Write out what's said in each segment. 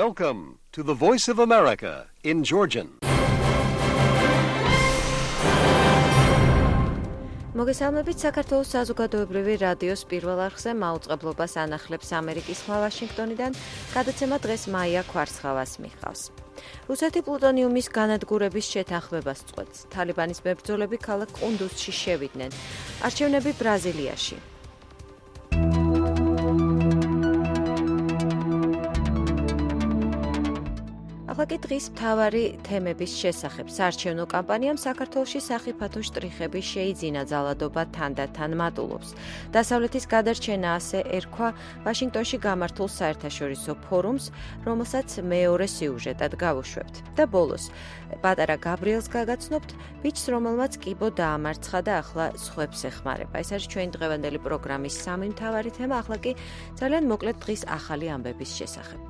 Welcome to the Voice of America in Georgian. მოგესალმებით საქართველოს საზოგადოებრივი რადიოს პირველ არხზე მაუწყებლობას ანახლებს ამერიკის ხმა ვაშინგტონიდან, გადაცემა დღეს მაია ქვარცხავას მიჰყავს. რუსეთი პლუტონიუმის განადგურების შეთანხმებას წყვეტს. თალიბანის მებრძოლები ქალაქ ყუნდუზში შევიდნენ. არჩევნები ბრაზილიაში. ახლა კი დღის მთავარი თემების შესახებ. საარჩევნო კამპანიამ საქართველოში სახიფათო შტრიხები შეიძინა, ძალადობა თანდათან მატულობს. დასავლეთის გადარჩენა ასე ერქვა ვაშინგტონში გამართულ საერთაშორისო ფორუმს, რომელსაც მეორე სიუჟეტად გავუშვებთ. და ბოლოს, პატარა გაბრიელს გაგაცნობთ, ბიჭს, რომელმაც კიბო დაამარცხა და ახლა სხვებს ეხმარება. ეს არის ჩვენი დღევანდელი პროგრამის სამი მთავარი თემა, ახლა კი ძალიან მოკლედ დღის ახალი ამბების შესახებ.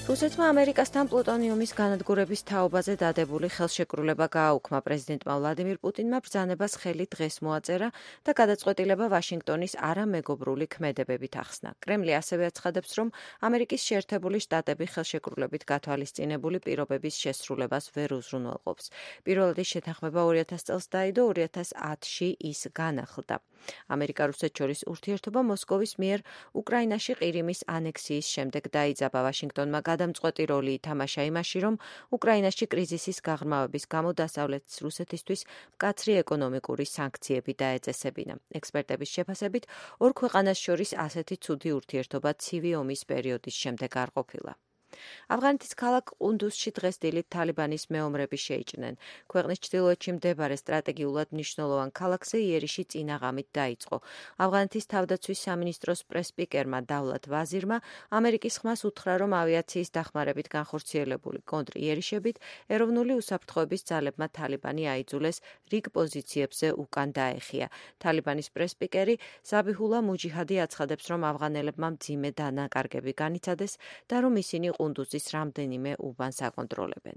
რუსეთმა ამერიკასთან პლუტონიუმის განადგურების თაობაზე დადებული ხელშეკრულება გააუქმა. პრეზიდენტმა ვლადიმირ პუტინმა ბრძანებას ხელი დღეს მოაწერა და გადაწყვეტილება ვაშინგტონის არამეგობრული ქმედებებით ახსნა. კრემლი ასევე აცხადებს, რომ ამერიკის შეერთებული შტატები ხელშეკრულებით გათვალისწინებული პირობების შესრულებას ვერ უზრუნველყოფს. პირველადი შეთანხმება 2000 წელს დაიდო, 2010-ში ის განახლდა. ამერიკა-რუსეთ შორის ურთიერთობა მოსკოვის მიერ უკრაინაში ყირიმის ანექსიის შემდეგ დაიძაბა. ვაშინგტონმა გადამწყვეტი როლი ითამაშა იმაში, რომ უკრაინაში კრიზისის გაღრმავების გამო დასავლეთის რუსეთისთვის მკაცრი ეკონომიკური სანქციები დაეწესებინა. ექსპერტების შეფასებით, ორ ქვეყანას შორის ასეთი ცუდი ურთიერთობა ცივი ომის პერიოდის შემდეგ არ ყოფილა. ავღანეთის ქალაქ ყუნდუზში დღეს დილით თალიბანის მეომრები შეიჭრნენ. ქვეყნის ჩრდილოეთში მდებარე სტრატეგიულად მნიშვნელოვან ქალაქზე იერიში წინაღამით დაიწყო. ავღანეთის თავდაცვის სამინისტროს პრესსპიკერმა დავლათ ვაზირმა ამერიკის ხმას უთხრა, რომ ავიაციის დახმარებით განხორციელებული კონტრიერიშებით ეროვნული უსაფრთხოების ძალებმა თალიბანი აიძულეს რიგ პოზიციებზე უკან დაეხია. თალიბანის პრესსპიკერი ზაბიჰულა მუჯიჰადი აცხადებს, რომ ავღანელებმა მძიმე დანაკარგები განიცადეს და რომ ისინი ყუნდუზის რამდენიმე უბანს აკონტროლებენ.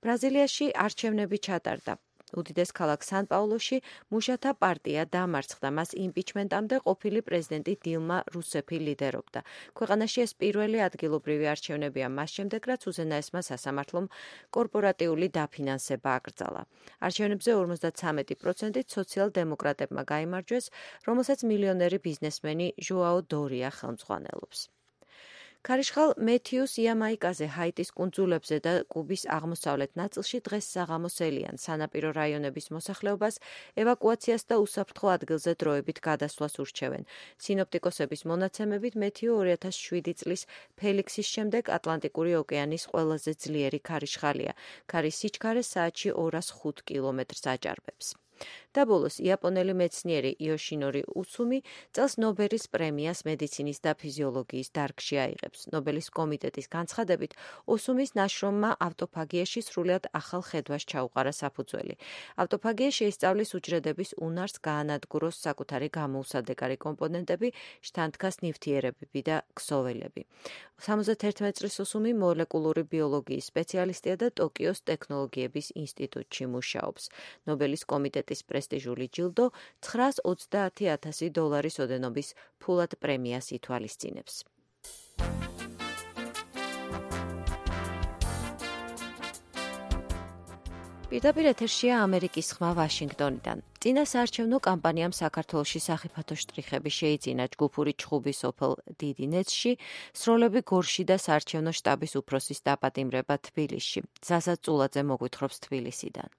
ბრაზილიაში არჩევნები ჩატარდა. უდიდეს ქალაქ სან-პაულოში მუშათა პარტია დამარცხდა. მას იმპიჩმენტამდე ყოფილი პრეზიდენტი დილმა რუსეფი ლიდერობდა. ქვეყანაში ეს პირველი ადგილობრივი არჩევნებია მას შემდეგ, რაც უზენაესმა სასამართლომ კორპორატიული დაფინანსება აკრძალა. არჩევნებზე 53%-ით სოციალ-დემოკრატებმა გაიმარჯვეს, რომელსაც მილიონერი ბიზნესმენი ჟოაო დორია ხელმძღვანელობს. ქარიშხალ მეთიუს იამაიკაზე, ჰაიტის კუნძულებზე და კუბის აღმოსავლეთ ნაწილში დღეს საღამოს ელიან. სანაპირო რაიონების მოსახლეობას ევაკუაციას და უსაფრთხო ადგილზე დროებით გადასვლას ურჩევენ. სინოპტიკოსების მონაცემებით მეთიუ 2007 წლის ფელიქსის შემდეგ ატლანტიკური ოკეანის ყველაზე ძლიერი ქარიშხალია. ქარის სიჩქარე საათში 205 კილომეტრს აჭარბებს. და ბოლოს, იაპონელი მეცნიერი იოშინორი უცუმი წელს ნობელის პრემიას მედიცინის და ფიზიოლოგიის დარგში აიღებს. ნობელის კომიტეტის განცხადებით, ოსუმის ნაშრომმა ავტოფაგიაში სრულად ახალ ხედვას ჩაუყარა საფუძველი. ავტოფაგია შეისწავლის უჯრედების უნარს გაანადგუროს საკუთარი გამოუსადეგარი კომპონენტები, შთანთქას ნივთიერებები და ქსოველები. 71 წლის ოსუმი მოლეკულური ბიოლოგიის სპეციალისტია და ტოკიოს ტექნოლოგიების ინსტიტუტში მუშაობს. ნობელის კომიტეტის პრესტიჟული ჯილდო $920,000 ოდენობის ფულად პრემიას ითვალისწინებს. პირდაპირ ეთერშია ამერიკის ხმა ვაშინგტონიდან. წინა საარჩევნო კამპანიამ საქართველოში სახიფათო შტრიხები შეიძინა. ჯგუფური ჩხუბი სოფელ დიდინეთში, სროლები გორში და საარჩევნო შტაბის უფროსის დაპატიმრება თბილისში. ზაზა წულაძე მოგვითხრობს თბილისიდან.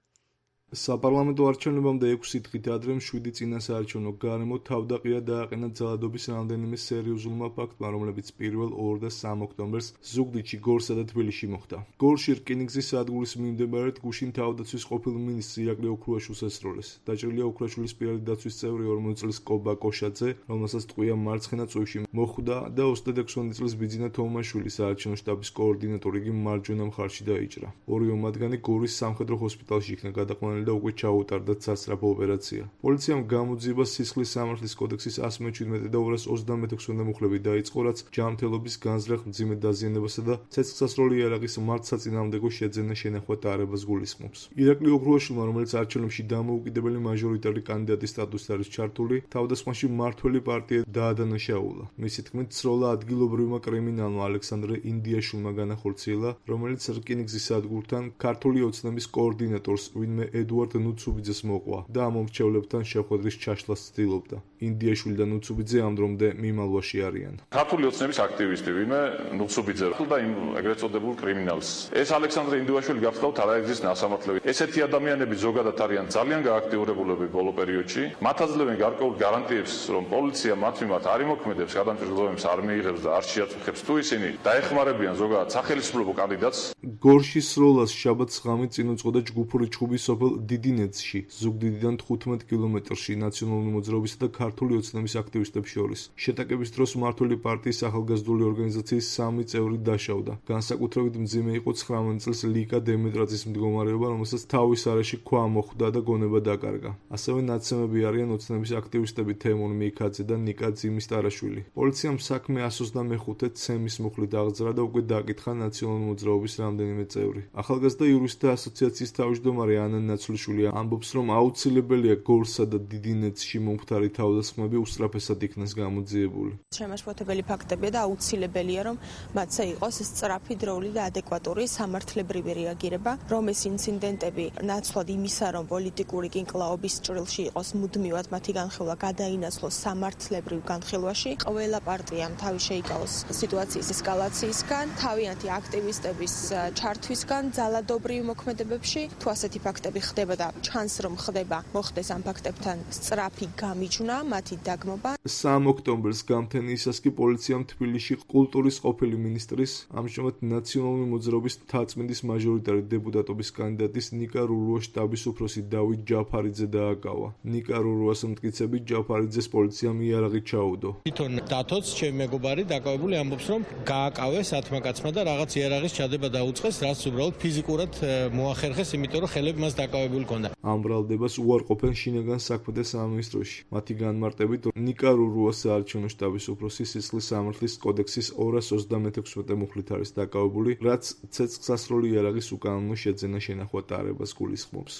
საპარლამენტო არჩევნებამდე 6 დღით ადრე 7 წინა საარჩევნო გარემო თავდაყირა დააყენა ძალადობის რამდენიმე სერიოზულმა ფაქტმა, რომლებიც 1, 2 და 3 ოქტომბერს ზუგდიდში, გორსა და თბილისში მოხდა. გორში რკინიგზის სადგურის მიმდებარედ გუშინ თავდაცვის ყოფილ მინისტრს ირაკლი ოქრუაშვილს ესროლეს. დაჭრილია ოქრუაშვილის პირველი დაცვის წევრი 40 წლის კობა კოშაძე, რომელსაც ტყვია მარცხენა წვევში მოხვდა და 26 წლის ბიძინა თომაშვილი საარჩევნო შტაბის კოორდინატორი იგი მარჯვენა მხარში დაიჭრა. ორივე მათგანი გორის სამხედრო ჰოსპიტალში იქნა გადაყვანილი და უკვე ჩაუტარდა სასწრაფო ოპერაცია. პოლიციამ გამოძიება სისხლის სამართლის კოდექსის 117 და 236 მუხლები დაიწყო, რაც ჯანმრთელობის განზრახ მძიმე დაზიანებასა და ცეცხლსასროლი იარაღის მართლსაწინააღმდეგო შეძენა შენახვა დაარებას გულისხმობს. ირაკლი ოქრუაშვილმა, რომელიც არჩევნებში დამოუკიდებელი მაჟორიტარი კანდიდატის სტატუსით არის ჩართული, თავდასხმაში მმართველი პარტია დაადანაშაულა. მისი თქმით, სროლა ადგილობრივმა კრიმინალმა ალექსანდრე ინდიაშვილმა განახორციელა, რომელიც რკინიგზის სადგურთან ქართული ოცნების კოორდინატორს, ვინმე ედუარდ ნუცუბიძეს მოყვა და ამ მომრჩევლებთან შეხვედრის ჩაშლას ცდილობდა. ინდიაშვილი და ნუცუბიძე ამ დრომდე მიმალვაში არიან. ქართული ოცნების აქტივისტი, ვინმე ნუცუბიძე და იმ ეგრეთ წოდებულ კრიმინალს. ეს ალექსანდრე ინდიაშვილი გახლავთ არაერთის ნასამართლები. ესეთი ადამიანები ზოგადად არიან ძალიან გააქტიურებულები ბოლო პერიოდში. მათ აძლევენ გარკვეულ გარანტიებს, რომ პოლიცია მათ მიმართ არ იმოქმედებს, გადამჭირდებებს არ მიიღებს და არ შეაწუხებს, თუ ისინი დაეხმარებიან ზოგადად სახელმწიფო კანდიდატს. გორშის სროლას შაბათს ღამით წინ უძღოდა ჯგუფური ჩხუბი სოფელ დიდინეთში, ზუგდიდიდან 15 კილომეტრში ნაციონალური მოძრაობისა და ქართული ოცნების აქტივისტებს შორის. შეტაკების დროს მმართველი პარტიის ახალგაზრდული ორგანიზაციის 3 წევრი დაშავდა. განსაკუთრებით მძიმე იყო 19 წლის ლიკა დემეტრაძის მდგომარეობა, რომელსაც თავის არეში ქვა მოხვდა და გონება დაკარგა. ასევე ნაცემები არიან ოცნების აქტივისტები თემურ მიქაძე და ნიკა ძიმის-ტარაშვილი. პოლიციამ საქმე 125 ცემის მუხლით აღძრა და უკვე დააკითხა ნაციონალური მოძრაობის რამდენიმე წევრი. ახალგაზრდა იურისტთა ასოციაციის თავმჯდომარე ანა ნაცვლიშვილი ამბობს, რომ აუცილებელია გორსა და დიდინეთში მომხდარი თავდასხმები უსწრაფესად იქნას გამოძიებული. შემაშფოთებელი ფაქტებია და აუცილებელია, რომ მათზე იყოს სწრაფი, დროული და ადეკვატური სამართლებრივი რეაგირება, რომ ეს ინციდენტები ნაცვლად იმისა, რომ პოლიტიკური კინკლაობის ჭრილში იყოს მუდმივად მათი განხილვა გადაინაცვლოს სამართლებრივ განხილვაში. ყველა პარტიამ თავი შეიკავოს სიტუაციის ესკალაციისგან, თავიანთი აქტივისტების ჩართვისგან ძალადობრივ მოქმედებებში. თუ ასეთი ფაქტები ხდება და ჩანს, რომ ხდება, მოხდეს ამ ფაქტებთან სწრაფი გამიჯვნა, მათი დაგმობა. 3 ოქტომბერს გამთენიისას კი პოლიციამ თბილისში კულტურის ყოფილი მინისტრის, ამჟამად ნაციონალური მოძრაობის მთაწმინდის მაჟორიტარი დეპუტატობის კანდიდატის ნიკა რურუას შტაბის უფროსი დავით ჯაფარიძე დააკავა. ნიკა რურუას მტკიცებით ჯაფარიძეს პოლიციამ იარაღი ჩაუდო. თვითონ დათოც ჩემი მეგობარი დაკავებული ამბობს, რომ გააკავეს ათმა კაცმა და რაღაც იარაღის ჩადება დაუწყეს, რაც უბრალოდ ფიზიკურად მოახერხეს, იმიტომ რომ ხელები მას დაკავებული ჰქონდა. ამ ბრალდებას უარყოფენ შინაგან საქმეთა სამინისტროში. მათი განმარტებით, ნიკა რურუას საარჩევნო შტაბის უფროსი სისხლის სამართლის კოდექსის 236 მუხლით არის დაკავებული, რაც ცეცხლსასროლი იარაღის უკანონო შეძენა შენახვა დაარებას გულისხმობს.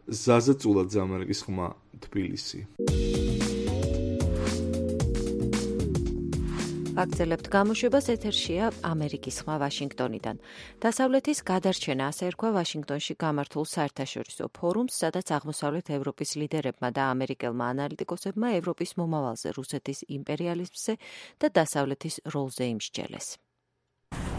ზაზა წულაძე, ამერიკის ხმა, თბილისი. ვაგრძელებთ გამოშვებას, ეთერშია ამერიკის ხმა ვაშინგტონიდან. დასავლეთის გადარჩენა, ასე ერქვა ვაშინგტონში გამართულ საერთაშორისო ფორუმს, სადაც აღმოსავლეთ ევროპის ლიდერებმა და ამერიკელმა ანალიტიკოსებმა ევროპის მომავალზე, რუსეთის იმპერიალიზმზე და დასავლეთის როლზე იმსჯელეს.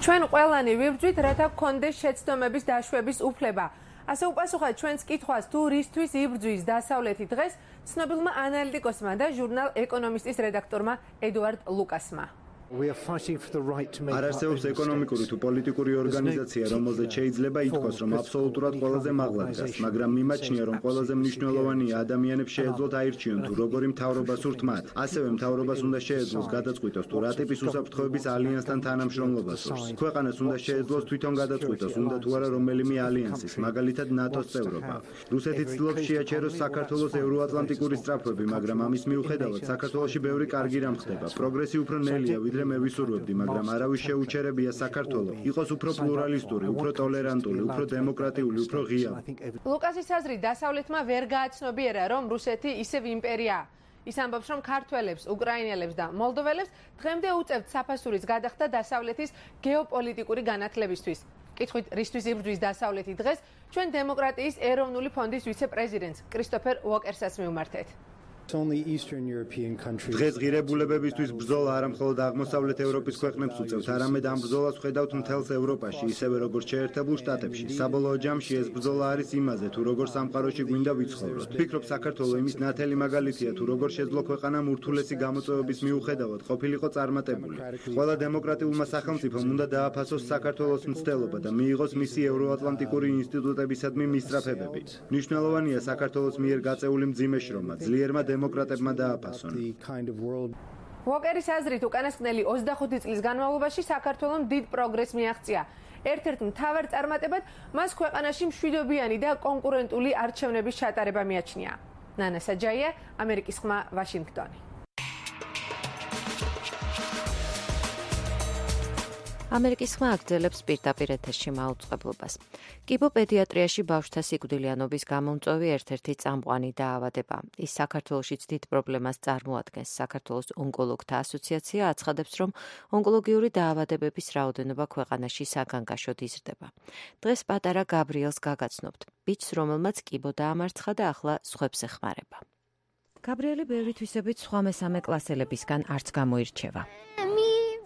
ჩვენ ყველანი ვიბრძვით, რათა გქონდეს შეცდომების დაშვების უფლება. ასე უპასუხა ჩვენს კითხვას, თუ რისთვის იბრძვის დასავლეთი დღეს, ცნობილმა ანალიტიკოსმა და ჟურნალ ეკონომისტის რედაქტორმა ედუარდ ლუკასმა. არ არსებობს ეკონომიკური თუ პოლიტიკური ორგანიზაცია, რომელზეც შეიძლება ითქვას, რომ აბსოლუტურად ყველაზე მაღლა დგას, მაგრამ მიმაჩნია, რომ ყველაზე მნიშვნელოვანია ადამიანებს შეეძლოთ აირჩიონ, თუ როგორი მთავრობა სურთ მათ. ასევე მთავრობას უნდა შეეძლოს გადაწყვიტოს, თუ რა ტიპის უსაფრთხოების ალიანსთან თანამშრომლობა სურს. ქვეყანას უნდა შეეძლოს თვითონ გადაწყვიტოს, უნდა თუ არა რომელიმე ალიანსის, მაგალითად ნატოს წევრობა. რუსეთი ცდილობს შეაჩეროს საქართველოს ევროატლანტიკური სწრაფვები, მაგრამ ამის მიუხედავად საქართველოში ბევრი კარგი რამ ხდება. პროგრესი უფრო ნელია, ვიდრე მე ვისურვებდი, მაგრამ არავის შეუჩერებია საქართველო იყოს უფრო პლურალისტური, უფრო ტოლერანტული, უფრო დემოკრატიული, უფრო ღია. ლუკასის აზრით, დასავლეთმა ვერ გააცნობიერა, რომ რუსეთი ისევ იმპერიაა. ის ამბობს, რომ ქართველებს, უკრაინელებს და მოლდოველებს დღემდე უწევთ საფასურის გადახდა დასავლეთის გეოპოლიტიკური განათლებისთვის. კითხვით, რისთვის იბრძვის დასავლეთი დღეს, ჩვენ დემოკრატიის ეროვნული ფონდის ვიცე-პრეზიდენტს კრისტოფერ უოკერსაც მივმართეთ. დღეს ღირებულებებისთვის ბრძოლა არა მხოლოდ აღმოსავლეთ ევროპის ქვეყნებს უწევთ, არამედ ამ ბრძოლას ხედავთ მთელს ევროპაში, ისევე როგორც შეერთებულ შტატებში. საბოლოო ჯამში ეს ბრძოლა არის იმაზე, თუ როგორ სამყაროში გვინდა ვიცხოვროთ. ვფიქრობ, საქართველო იმის ნათელი მაგალითია, თუ როგორ შეძლო ქვეყანამ ურთულესი გამოწვევების მიუხედავად ყოფილიყო წარმატებული. ყველა დემოკრატიულმა სახელმწიფომ უნდა დააფასოს საქართველოს მცდელობა და მიიღოს მისი ევროატლანტიკური ინსტიტუტებისადმი მისწრაფებები. მნიშვნელოვანია საქართველოს მიერ გაწეული მძიმე შრომა, ძლიერმა დემოკრატებმა დააფასონ. უოკერის აზრით, უკანასკნელი 25 წლის განმავლობაში საქართველომ დიდ პროგრესს მიაღწია. ერთ-ერთ მთავარ წარმატებად მას ქვეყანაში მშვიდობიანი და კონკურენტული არჩევნების ჩატარება მიაჩნია. ნანა საჯაია, ამერიკის ხმა, ვაშინგტონი. ამერიკის ხმა აგრძელებს პირდაპირ ეთერში მაუწყებლობას. კიბოპედიატრიაში ბავშვთა სიკვდილიანობის გამომწვევი ერთ-ერთი წამყვანი დაავადება. ის საქართველოშიც დიდ პრობლემას წარმოადგენს. საქართველოს ონკოლოგთა ასოციაცია აცხადებს, რომ ონკოლოგიური დაავადებების რაოდენობა ქვეყანაში საგანგაშოდ იზრდება. დღეს პატარა გაბრიელს გაგაცნობთ, ბიჭს, რომელმაც კიბო დაამარცხა და ახლა სხვებს ეხმარება. გაბრიელი ბევრი თვისებით სხვა მესამე კლასელებისგან არც გამოირჩევა.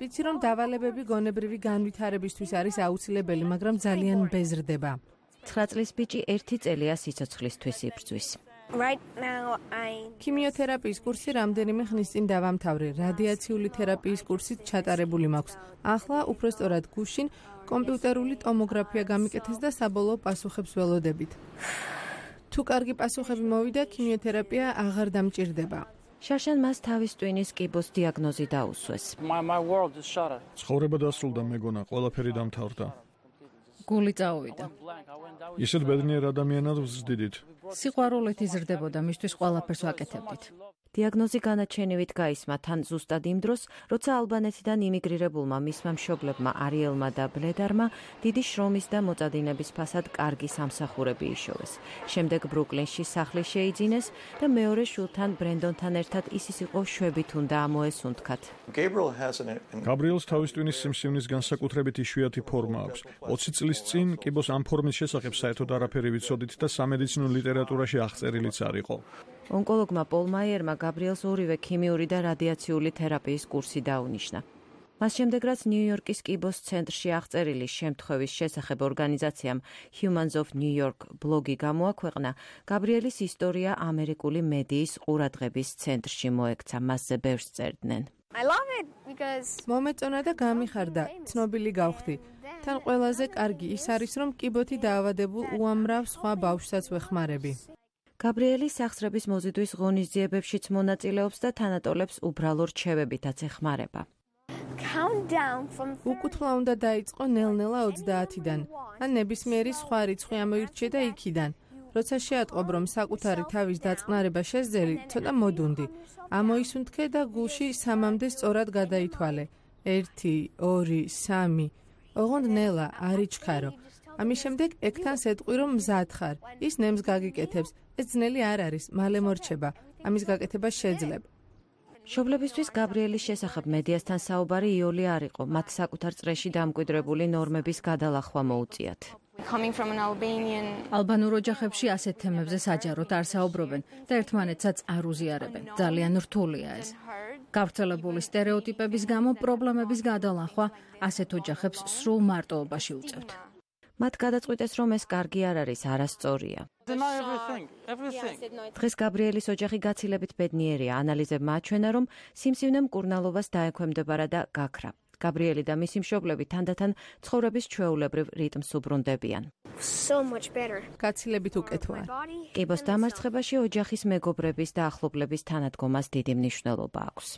ვიცი რომ დავალებები გონებრივი განვითარებისთვის არის აუცილებელი, მაგრამ ძალიან ბეზრდება. 9 წლის ბიჭი 1 წელია სიცოცხლისთვის იბრძვის. ქიმიოთერაპიის კურსი რამდენიმე ხნის წინ დავამთავრე, რადიაციული თერაპიის კურსით ჩატარებული მაქვს. ახლა უпростоრად გუშინ კომპიუტერული ტომოგრაფია გამიკეთეს და საბოლოო პასუხებს ველოდებით. თუ კარგი პასუხები მოვიდა, ქიმიოთერაპია აღარ დამჭირდება. შარშან მას თავის ტვინის კიბოს დიაგნოზი დაუსვეს. ცხოვრება დასრულდა, მეგონა, ყველაფერი დამთავრდა. გული წაუვიდა. ისეთ ბედნიერ ადამიანად ვზრდიდით. სიყვარულით იზრდებოდა, მისთვის ყველაფერს ვაკეთებდით. დიაგნოზი განაჩენივით გაისმა თან ზუსტად იმ დროს, როცა ალბანეთიდან იმიგრირებულმა მისმა მშობლებმა არიელმა და ბლედარმა დიდი შრომის და მოწადინების ფასად კარგი სამსახურები იშოვეს. შემდეგ ბრუკლინში სახლი შეიძინეს და მეორე შვილთან ბრენდონთან ერთად ის იყო შვებით უნდა ამოესუნთქათ. გაბრიელს თავის ტვინის სიმსივნის განსაკუთრებით იშვიათი ფორმა აქვს. 20 წლის წინ კიბოს ამ ფორმის შესახებ საერთოდ არაფერი ვიცოდით და სამედიცინო ლიტერატურაში აღწერილიც არ იყო. ონკოლოგმა პოლ მაიერმა გაბრიელს ორივე ქიმიური და რადიაციული თერაპიის კურსი დაუნიშნა. მას შემდეგ, რაც ნიუ-იორკის კიბოს ცენტრში აღწერილი შემთხვევის შესახებ ორგანიზაციამ Humans of New York ბლოგი გამოაქვეყნა, გაბრიელის ისტორია ამერიკული მედიის ყურადღების ცენტრში მოექცა, მასზე ბევრს წერდნენ. მომეწონა და გამიხარდა, ცნობილი გავხდი. თან ყველაზე კარგი ის არის, რომ კიბოთი დაავადებულ უამრავ სხვა ბავშვსაც ვეხმარები. გაბრიელი სახსრების მოზიდვის ღონისძიებებშიც მონაწილეობს და თანატოლებს უბრალო რჩევებითაც ეხმარება. უკუთვლა უნდა დაიწყო ნელ-ნელა 30-დან, ან ნებისმიერი სხვა რიცხვი ამოირჩიე და იქიდან. როცა შეატყობ, რომ საკუთარი თავის დაწყნარება შეძელი, ცოტა მოდუნდი. ამოისუნთქე და გულში 3-მდე სწორად გადაითვალე. 1, 2, 3. ოღონდ ნელა, არ იჩქარო. ამის შემდეგ ეკთანს ეტყვი, რომ მზად ხარ. ის ნემს გაგიკეთებს. ეს ძნელი არ არის, მალე მორჩება. ამის გაკეთება შეძლებ. მშობლებისთვის გაბრიელის შესახებ მედიასთან საუბარი იოლი არ იყო. მათ საკუთარ წრეში დამკვიდრებული ნორმების გადალახვა მოუწიათ. ალბანურ ოჯახებში ასეთ თემებზე საჯაროდ არ საუბრობენ და ერთმანეთსაც არ უზიარებენ. ძალიან რთულია ეს. გავრცელებული სტერეოტიპების გამო პრობლემების გადალახვა ასეთ ოჯახებს სრულ მარტოობაში უწევთ. მათ გადაწყვიტეს, რომ ეს კარგი არ არის, არასწორია. დღეს გაბრიელის ოჯახი გაცილებით ბედნიერია. ანალიზებმა აჩვენა, რომ სიმსივნე მკურნალობას დაექვემდებარა და გაქრა. გაბრიელი და მისი მშობლები თანდათან ცხოვრების ჩვეულებრივ რიტმს უბრუნდებიან. გაცილებით უკეთოა. კიბოს დამარცხებაში ოჯახის მეგობრების და ახლობლების თანადგომას დიდი მნიშვნელობა აქვს.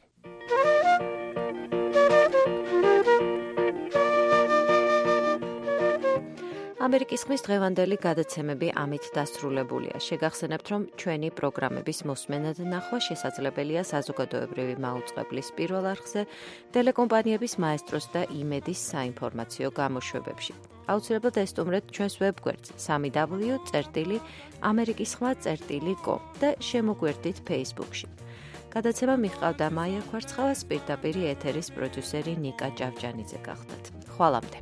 ამერიკის ხმის დღევანდელი გადაცემები ამით დასრულებულია. შეგახსენებთ, რომ ჩვენი პროგრამების მოსმენა და ნახვა შესაძლებელია საზოგადოებრივი მაუწყებლის პირველ არხზე, ტელეკომპანიების მაესტროს და იმედის საინფორმაციო გამოშვებებში. აუცილებლად ესტუმრეთ ჩვენს ვებგვერდს www.amerikiskhma.com და შემოგვერდით Facebook-ში. გადაცემა მიჰყავდა მაია ხვარცხავა, პირდაპირ ეთერის პროდიუსერი ნიკა ჭავჭანიძე გახდათ. ხვალამდე.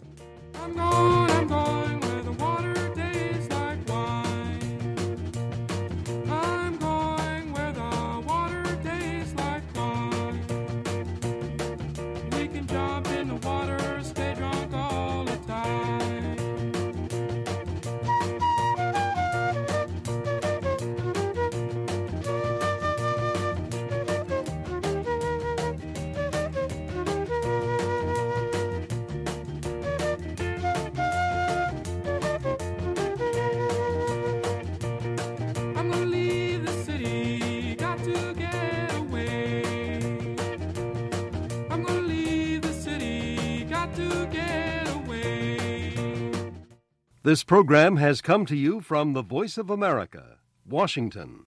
This program has come to you from the Voice of America, Washington.